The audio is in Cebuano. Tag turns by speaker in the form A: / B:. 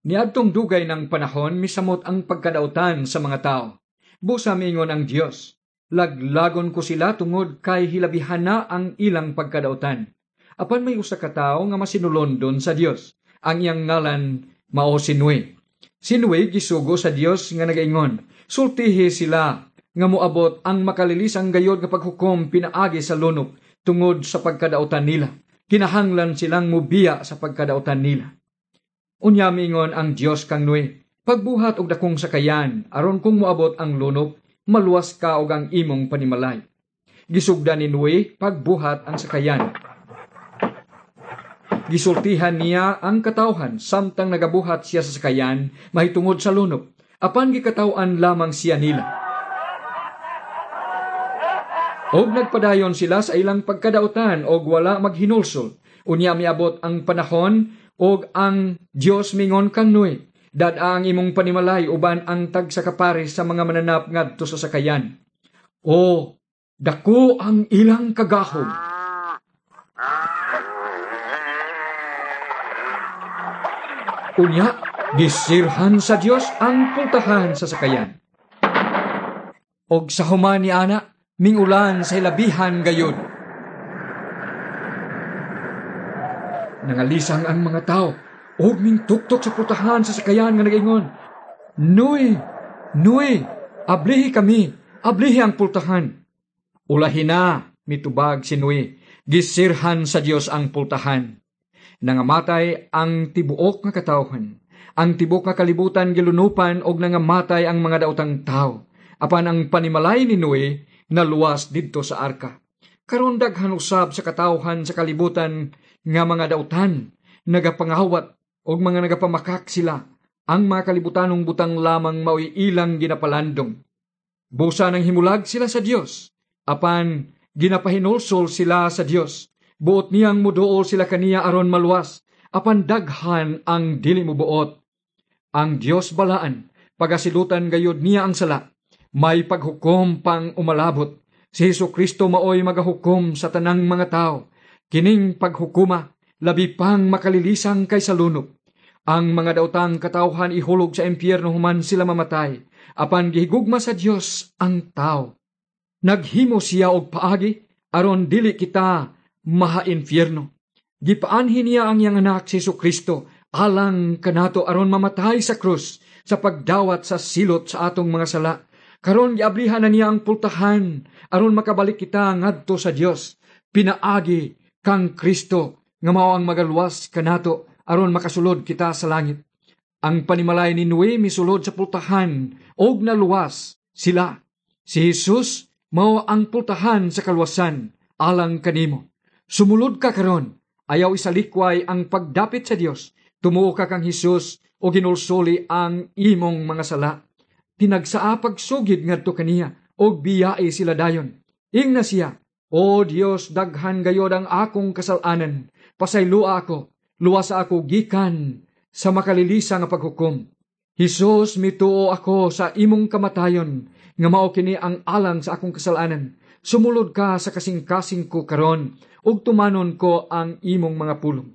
A: Niadtong dugay ng panahon, misamot ang pagkadautan sa mga tao. Busa miingon ang Dios, laglagon ko sila tungod kay hilabihan na ang ilang pagkadautan. Apan may usa ka tawo nga masinulondon sa Dios. Ang iyang ngalan mao si Noe. Si Noe gisugo sa Dios nga nagaingon, sultihi sila nga moabot ang makalilisang gayod nga paghukom pinaagi sa lunop tungod sa pagkadautan nila. Kinahanglan silang mubiya sa pagkadautan nila. Unya miingon ang Dios kang Noe, pagbuhat og dakong sakayan aron kung moabot ang lunop, maluwas ka og ang imong panimalay. Gisugdan ni Noe pagbuhat ang sakayan. Gisultihan niya ang katawhan samtang nagabuhat siya sa sakayan mahitungod sa lunop. Apan gikataw-an lamang siya nila. Og nagpadayon sila sa ilang pagkadautan og wala maghinulsol. Unya miabot ang panahon og ang Dios mingon kang Noe, dad-a ang imong panimalay uban ang tag sa kapares sa mga mananap ngadto sa sakayan. O dako ang ilang kagahom. Unya, gisirhan sa Dios ang pultahan sa sakayan. Og sa human ni ana, mingulan sa hilabihan gayud. Nangalisang ang mga tao og mingtuktok sa pultahan sa sakayan nga nagaingon, Noe, Noe, ablihi kami, ablihi ang pultahan. Ulahi na, mitubag si Noe, gisirhan sa Dios ang pultahan. Nangamatay ang tibuok nga katawhan. Ang tibuok nga kalibutan gilunupan og nangamatay ang mga daotang tawo. Apan ang panimalay ni Noe naluwas didto sa arka. Karon daghan usab sa katawhan sa kalibutan nga mga dautan, nagapangawat og mga nagapamakak sila. Ang mga kalibutanong butang lamang mao'y ilang ginapalandong. Busa nang himulag sila sa Dios, apan ginapahinulsol sila sa Dios. Buot niyang muduol sila kaniya aron maluwas, apan daghan ang dili mubuot. Ang Dios balaan, pagasilutan gayud niya ang sala. May paghukom pang umalabot. Si Hesus Kristo maoy magahukom sa tanang mga tao. Kining paghukuma, labi pang makalilisang kaysa lunop. Ang mga daotang katawhan ihulog sa impyerno human sila mamatay. Apan gihigugma sa Dios ang tao. Naghimo siya og paagi aron dili kita maha-impyerno. Gipaanhin niya ang iyang anak si Hesus Kristo alang kanato aron mamatay sa krus sa pagdawat sa silot sa atong mga sala. Karon giablihan na niya ang pultahan aron makabalik kita ngadto sa Dios. Pinaagi kang Kristo nga mao ang magaluwas kanato aron makasulod kita sa langit. Ang panimalay ni Noe misulod sa pultahan og naluwas sila. Si Jesus mao ang pultahan sa kaluwasan alang kanimo. Sumulod ka karon, ayaw isalikway ang pagdapit sa Dios. Tumuo ka kang Hesus o ginulsuli ang imong mga sala. Tinagsaa pagsugid ngadto kaniya og biyae sila dayon. Ingna siya, O Dios, daghan gayod ang akong kasalanan. Pasayloa ako, luwasa ako gikan sa makalilisa nga paghukom. Hesus, mituo ako sa imong kamatayon, nga mao kini ang alang sa akong kasalanan. Sumulod ka sa kasing-kasing ko karon, ug tumanon ko ang imong mga pulong.